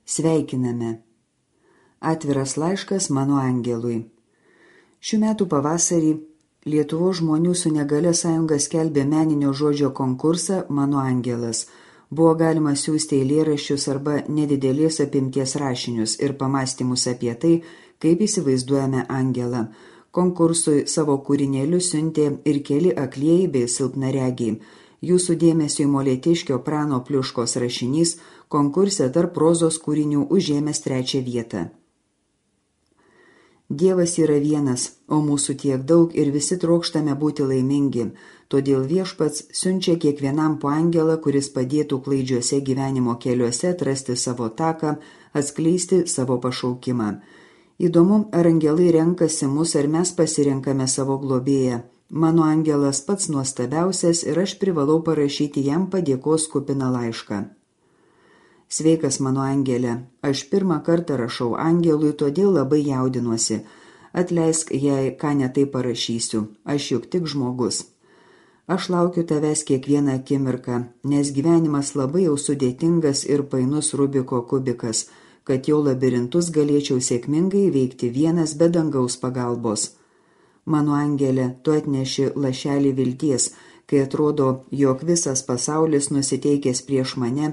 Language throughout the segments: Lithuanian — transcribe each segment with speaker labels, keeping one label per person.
Speaker 1: Sveikiname. Atviras laiškas mano angelui. Šių metų pavasarį Lietuvos žmonių su negalia sąjunga skelbė meninio žodžio konkursą Mano angelas. Buvo galima siųsti eilėraščius arba nedidelės apimties rašinius ir pamąstymus apie tai, kaip įsivaizduojame angelą. Konkursui savo kūrinėlius siuntė ir keli aklieji bei silpnaregiai. Jūsų dėmesio Molėtiškio Prano Pliuškos rašinys konkurse tarp prozos kūrinių užėmęs 3 vietą. Dievas yra vienas, o mūsų tiek daug ir visi trokštame būti laimingi. Todėl Viešpats siunčia kiekvienam po angelą, kuris padėtų klaidžiuose gyvenimo keliuose atrasti savo taką, atskleisti savo pašaukimą. Įdomu, ar angelai renkasi mus, ar mes pasirenkame savo globėją. Mano angelas pats nuostabiausias ir aš privalau parašyti jam padėkos kupiną laišką. Sveikas mano angelė, aš pirmą kartą rašau angelui, todėl labai jaudinuosi. Atleisk, jei ką netai parašysiu, aš juk tik žmogus. Aš laukiu tavęs kiekvieną akimirką, nes gyvenimas labai jau sudėtingas ir painus Rubiko kubikas, kad jo labirintus galėčiau sėkmingai veikti vienas be dangaus pagalbos. Mano angelė, tu atneši lašelį vilties, kai atrodo, jog visas pasaulis nusiteikęs prieš mane,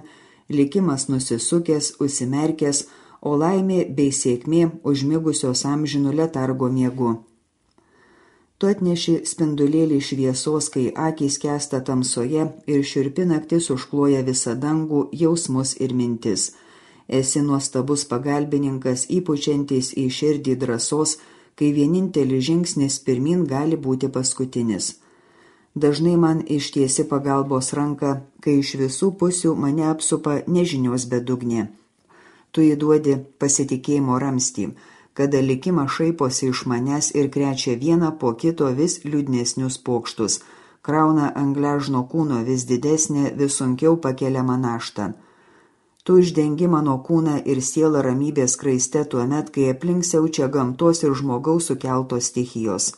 Speaker 1: likimas nusisukęs, užsimerkęs, o laimė bei sėkmė užmigusios amžinų letargo miegu. Tu atneši spindulėlį šviesos, kai akys skęsta tamsoje ir šiurpi naktis užkloja visą dangų, jausmus ir mintis. Esi nuostabus pagalbininkas, įpučiantis į širdį drąsos, kai vienintelis žingsnis pirmin gali būti paskutinis. Dažnai man ištiesi pagalbos ranką, kai iš visų pusių mane apsupa nežinios bedugnė. Tu įduodi pasitikėjimo ramstį, kada likimas šaiposi iš manęs ir krečia vieną po kito vis liūdnesnius pokštus, krauna ant gležno kūno vis didesnę, vis sunkiau pakeliamą naštą. Tu uždengi mano kūną ir sielą ramybės kraiste tuomet, kai aplink siaučia gamtos ir žmogaus sukeltos stichijos.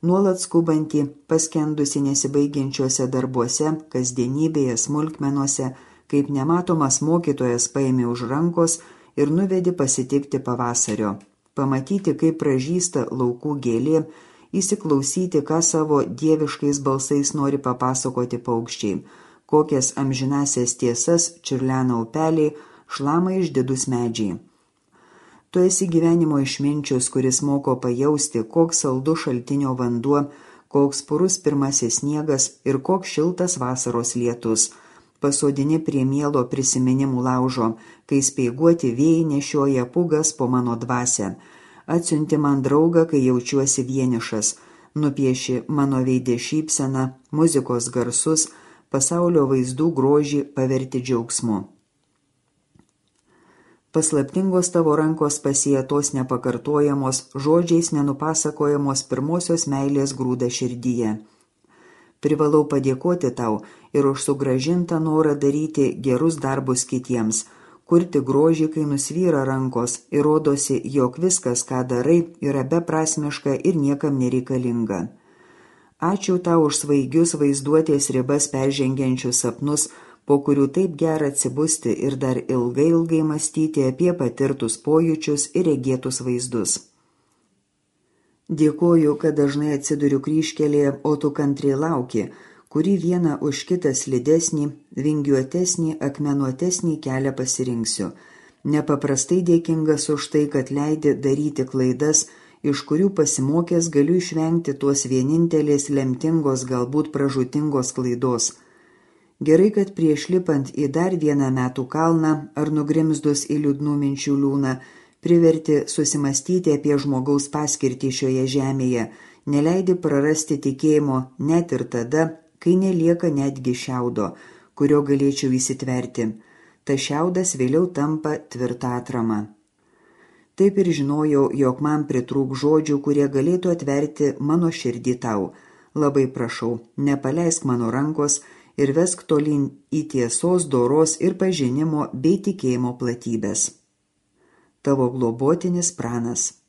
Speaker 1: Nuolat skubantį, paskendusi nesibaigiančiuose darbuose, kasdienybėje, smulkmenuose, kaip nematomas mokytojas paėmė už rankos ir nuvedi pasitikti pavasario. Pamatyti, kaip pražysta laukų gėlė, įsiklausyti, ką savo dieviškais balsais nori papasakoti paukščiai. Kokias amžinasias tiesas čiurlena upeliai, šlama išdidus medžiai. Tu esi gyvenimo išminčius, kuris moko pajausti, koks saldus šaltinio vanduo, koks purus pirmasis sniegas ir koks šiltas vasaros lietus. Pasodini prie mielo prisiminimų laužo, kai speiguoti vėjai nešioja pūgas po mano dvasią. Atsiunti man draugą, kai jaučiuosi vienišas. Nupieši mano veide šypseną, muzikos garsus, pasaulio vaizdų grožį paverti džiaugsmu. Paslaptingos tavo rankos pasietos nepakartojamos, žodžiais nenupasakojamos pirmosios meilės grūda širdyje. Privalau padėkoti tau ir už sugrąžintą norą daryti gerus darbus kitiems, kurti grožį, kai nusvyra rankos ir rodosi, jog viskas, ką darai, yra beprasmiška ir niekam nereikalinga. Ačiū tau už svaigius vaizduotės ribas peržengiančius sapnus, po kurių taip gera atsibusti ir dar ilgai mąstyti apie patirtus pojūčius ir regėtus vaizdus. Dėkoju, kad dažnai atsiduriu kryžkelėje, o tu kantriai lauki, kurį vieną už kitą slidesnį, vingiuotesnį, akmenuotesnį kelią pasirinksiu. Nepaprastai dėkingas už tai, kad leidi daryti klaidas, iš kurių pasimokęs galiu išvengti tuos vienintelės lemtingos, galbūt pražūtingos klaidos. Gerai, kad prieš lipant į dar vieną metų kalną ar nugrimzdus į liūdnų minčių liūną, priverti susimastyti apie žmogaus paskirtį šioje žemėje, neleidi prarasti tikėjimo net ir tada, kai nelieka netgi šiaudo, kurio galėčiau įsitverti. Ta šiaudas vėliau tampa tvirta atrama. Taip ir žinojau, jog man pritrūk žodžių, kurie galėtų atverti mano širdį tau. Labai prašau, nepaleisk mano rankos ir vesk tolyn į tiesos, doros ir pažinimo bei tikėjimo platybės. Tavo globotinis Pranas.